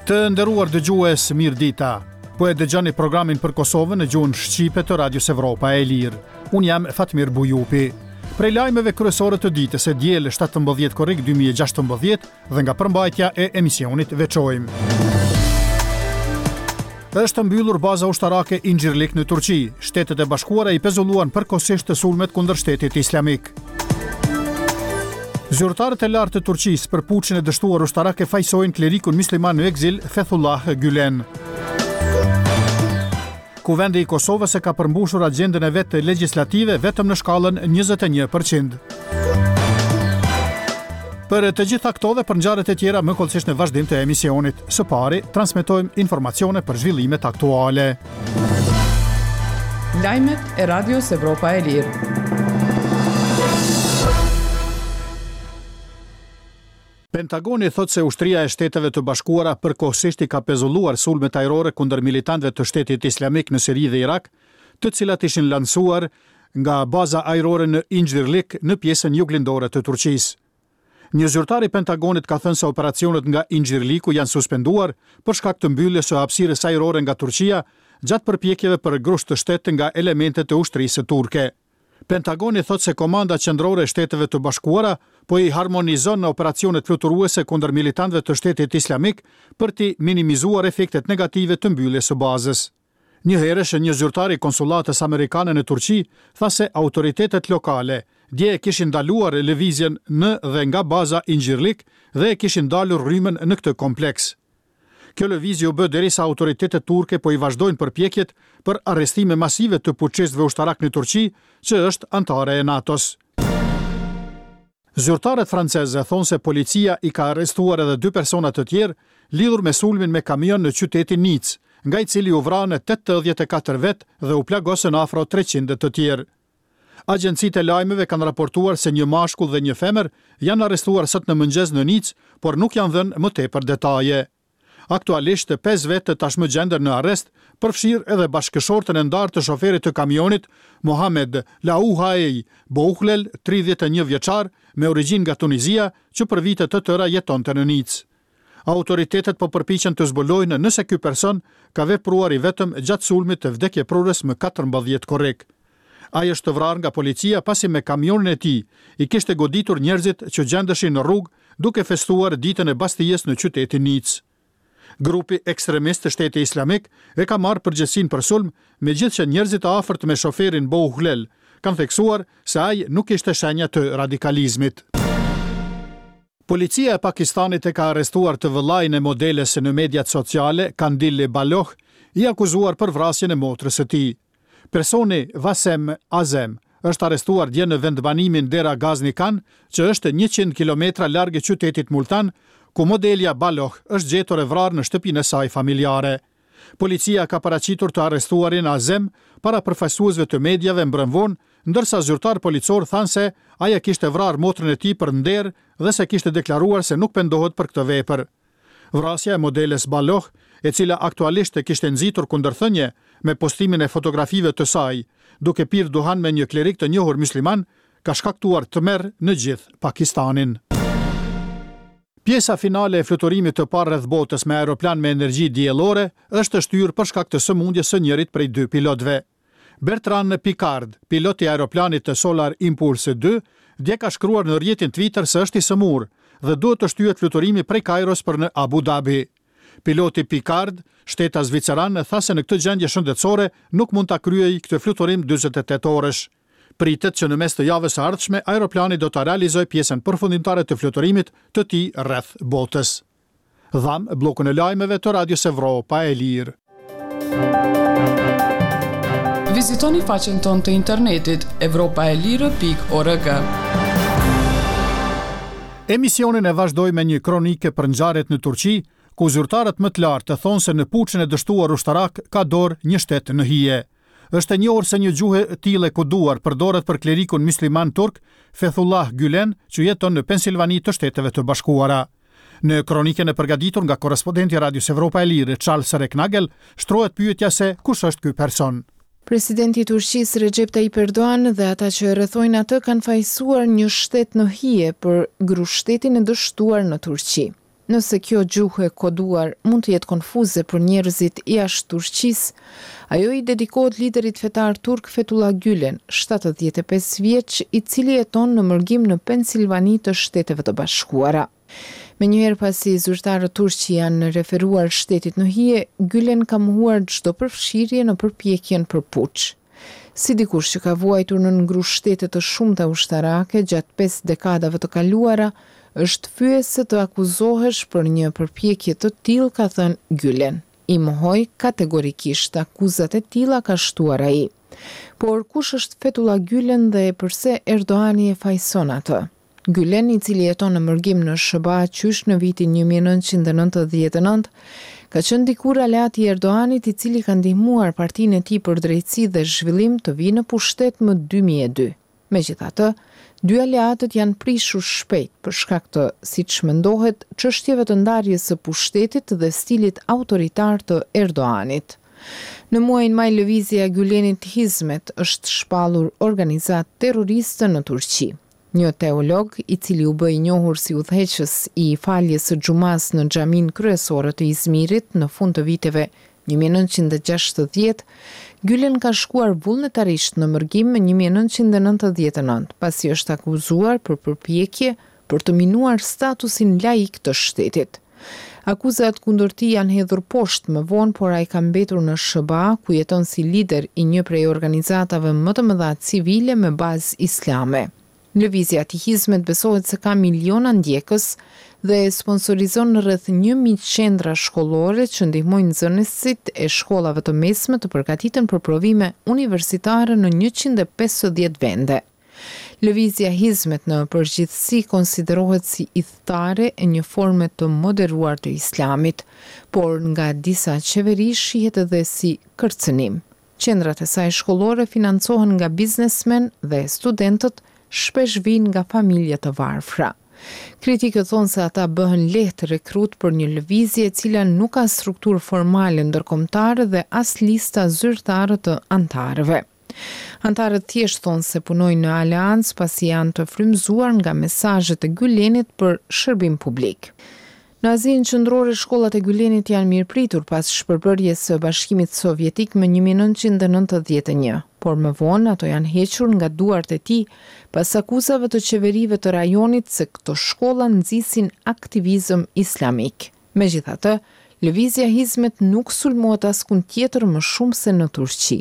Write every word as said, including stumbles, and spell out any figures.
Të nderuar dëgjues, mirë dita. Po e dëgjoni programin për Kosovën në gjuhën shqipe të Radios Evropa e Lirë. Unë jam Fatmir Bujupi. Prej lajmeve kryesore të ditës e diel shtatëmbëdhjetë korrik dy mijë e gjashtëmbëdhjetë dhe nga përmbajtja e emisionit veçojmë. Është mbyllur baza ushtarake Inxhirlik në Turqi. Shtetet e Bashkuara i pezulluan përkohësisht sulmet kundër Shtetit Islamik. Zyrtarët e lartë të Turqisë për puçin e dështuar ushtarak e fajsojnë klerikun musliman në ekzil Fethullah Gülen. Kuvendi i Kosovës e ka përmbushur agjendën e vet legjislative vetëm në shkallën njëzet e një përqind. Për të gjitha këto dhe për ngjarjet e tjera më hollësisht në vazhdim të emisionit. Së pari, transmetojmë informacione për zhvillimet aktuale. Lajmet e Radios Evropa e Lirë. Pentagoni thotë se ushtria e Shteteve të Bashkuara përkohësisht i ka pezulluar sulmet ajrore kundër militantëve të Shtetit Islamik në Siri dhe Irak, të cilat ishin lansuar nga baza ajrore në Inxhirlik në pjesën juglindore të Turqisë. Një zyrtar i Pentagonit ka thënë se operacionet nga Inxhirliku janë suspenduar për shkak të mbylljes së hapësirës ajrore nga Turqia gjatë përpjekjeve për grusht të shtet nga elementet e ushtrisë turke. Pentagoni thotë se Komanda Qendrore e Shteteve të Bashkuara po i harmonizon në operacionet fluturuese kundër militantëve të Shtetit Islamik për t'i minimizuar efektet negative të mbylljes së bazës. Njëherësh, një zyrtar i konsullatës amerikane në Turqi tha se autoritetet lokale dje e kishin ndaluar lëvizjen në dhe nga baza Inxhirlik dhe e kishin ndalur rrymën në këtë kompleks. Kjo lëvizje u bë derisa autoritetet turke po i vazhdojnë përpjekjet për arrestime masive të puçistëve ushtarak në Turqi, që është anëtare e NATO-s. Zyrtarët franceze thonë se policia i ka arrestuar edhe dy persona të tjerë lidhur me sulmin me kamion në qytetin Nice, nga i cili u vranë tetëdhjetë e katër vet dhe u plagosën afro treqind të tjerë. Agjencitë e lajmeve kanë raportuar se një mashkull dhe një femër janë arrestuar sot në mëngjes në Nice, por nuk janë dhënë më tepër detaje. Aktualisht, pesë vetë tashmë gjenden në arrest, përfshirë edhe bashkëshortën e ndarë të shoferit të kamionit, Mohamed Laouhaei Bouhlel, tridhjetë e një vjeçar, me origjinë nga Tunizia, që për vite të tëra jetonte në Nice. Autoritetet po përpiqen të zbulojnë nëse ky person ka vepruar i vetëm gjatë sulmit të vdekjeprurës më katërmbëdhjetë korrik. Ai është vrarë nga policia pasi me kamionin e tij i kishte goditur njerëzit që gjendeshin në rrugë duke festuar ditën e Bastijes në qytetin Nice. Grupi ekstremist të Shtetit Islamik e ka marrë përgjegjësinë për sulm, megjithëse njerëzit e afërt me shoferin Bouhlel kanë theksuar se ai nuk ishte shenja të radikalizmit. Policia e Pakistanit e ka arrestuar të vëllain e modeles në mediat sociale, Kandil Baloch, i akuzuar për vrasjen e motrës së tij. Personi Vasem Azem është arrestuar dje në vendbanimin Dera Ghazni Khan, që është njëqind kilometra larg qytetit Multan, ku modelja Baloch është gjetur e vrarë në shtëpinë e saj familjare. Policia ka paraqitur të arrestuarin Azem para përfaqësuesve të mediave mbrëm vonë, ndërsa zyrtar policor thanë se ai e kishte vrarë motrën e tij për nder dhe se kishte deklaruar se nuk pendohet për këtë vepër. Vrasja e modeles Baloch, e cila aktualisht e kishte nxitur kundërthënie me postimin e fotografive të saj, duke pirë duhan me një klerik të njohur musliman, ka shkaktuar tmerr në gjithë Pakistanin. Pjesa finale e fluturimit të parë rreth botës me aeroplan me energji diellore është shtyrë për shkak të sëmundjes së njërit prej dy pilotëve. Bertrand Piccard, pilot i aeroplanit të Solar Impulse dy, dje ka shkruar në rrjetin Twitter se është i sëmur dhe duhet të shtyhet fluturimi prej Kairos për në Abu Dhabi. Piloti Piccard, shtetas zviceran, tha se në këtë gjendje shëndetësore nuk mund ta kryejë këtë fluturim dyzet e tetë orësh. Pritet që në mes të javës së ardhshme aeroplani do ta realizojë pjesën përfundimtare të fluturimit të tij rreth botës. Dham bllokun e lajmeve të Radios Evropa e Lirë. Vizitoni faqen tonë të internetit evropa e lirë pikë org. Emisionin e vazhdoi me një kronike për ngjarjet në Turqi, ku zyrtarët më të lartë thonë se në puçin e dështuar ushtarak ka dorë një shtet në hije. Është e njohur se një gjuhë e tillë e koduar përdoret për klerikun musliman turk Fethullah Gülen, që jeton në Pensilvani të Shteteve të Bashkuara. Në kronikën e përgatitur nga korrespondenti i Radios Evropa e Lirë, Charles Recknagel, shtrohet pyetja se kush është ky person. Presidenti i Turqisë Recep Tayyip Erdogan dhe ata që e rrethojnë atë kanë fajësuar një shtet në hije për grushtetin e dështuar në Turqi. Nëse kjo gjuhë e koduar mund të jetë konfuze për njerëzit jashtë Turqisë, ajo i dedikohet liderit fetar turk Fethullah Gülen, shtatëdhjetë e pesë vjeç, i cili jeton në mërgim në Pensilvani të Shteteve të Bashkuara. Menjëherë pasi zyrtarët turq i janë referuar shtetit në hije, Gülen ka mohuar çdo përfshirje në përpjekjen për puç. Si dikush që ka vuajtur nën grushtete të shumta ushtarake gjatë pesë dekadave të kaluara, është fyese të akuzohesh për një përpjekje të tillë, ka thënë Gülen. I mohoj kategorikisht akuzat e tilla, ka shtuar ai. Por kush është Fethullah Gülen dhe përse Erdogani e fajëson atë? Gülen, i cili jeton në mërgim në S H B A qysh në vitin një mijë e nëntëqind e nëntëdhjetë e nëntë, ka qenë dikur aleati i Erdoganit, i cili ka ndihmuar partinë e tij për drejtësi dhe zhvillim të vijë në pushtet më dy mijë e dy. Megjithatë, dy aleatët janë prishur shpejt për shkak të, siç mendohet, çështjeve të ndarjes së pushtetit dhe stilit autoritar të Erdoganit. Në muajin maj, lëvizja e Gülenit Hizmet është shpallur organizatë terroriste në Turqi. Një teolog, i cili u bë i njohur si udhëheqës i faljes së xhumas në xhaminë kryesore të Izmirit në fund të viteve një mijë e nëntëqind e gjashtëdhjetë, Gülen ka shkuar vullnetarisht në mërgim më një mijë e nëntëqind e nëntëdhjetë e nëntë, pasi është akuzuar për përpjekje për të minuar statusin laik të shtetit. Akuzat kundër tij janë hedhur poshtë më vonë, por ai ka mbetur në S H B A, ku jeton si lider i një prej organizatave më të mëdha civile me bazë islame. Lëvizja e Hizmet besohet se ka miliona ndjekës dhe sponsorizon rreth një mijë qendra shkollore që ndihmojnë nxënësit e shkollave të mesme të përgatiten për provime universitare në njëqind e pesëdhjetë vende. Lëvizja Hizmet në përgjithësi konsiderohet si ithtarë e një forme të moderuar të islamit, por nga disa qeveri shihet edhe si kërcënim. Qendrat e saj shkollore financohen nga biznesmen dhe studentët shpesh vijnë nga familje të varfra. Kritikët thonë se ata bëhen lehtë rekrut për një lëvizje e cila nuk ka strukturë formale ndërkombëtare dhe as lista zyrtare të antarëve. Antarët thjesht thonë se punojnë në aleancë pasi janë të frymëzuar nga mesazhet e Gülenit për shërbim publik. Në Azinë Qendrore, shkollat e Gülenit janë mirëpritur pas shpërbërjes së Bashkimit Sovjetik më një mijë e nëntëqind e nëntëdhjetë e një, por më vonë ato janë hequr nga duart e tij pas akuzave të qeverive të rajonit se këto shkolla nxisin aktivizëm islamik. Megjithatë, lëvizja Hizmet nuk sulmohet askund tjetër më shumë se në Turqi.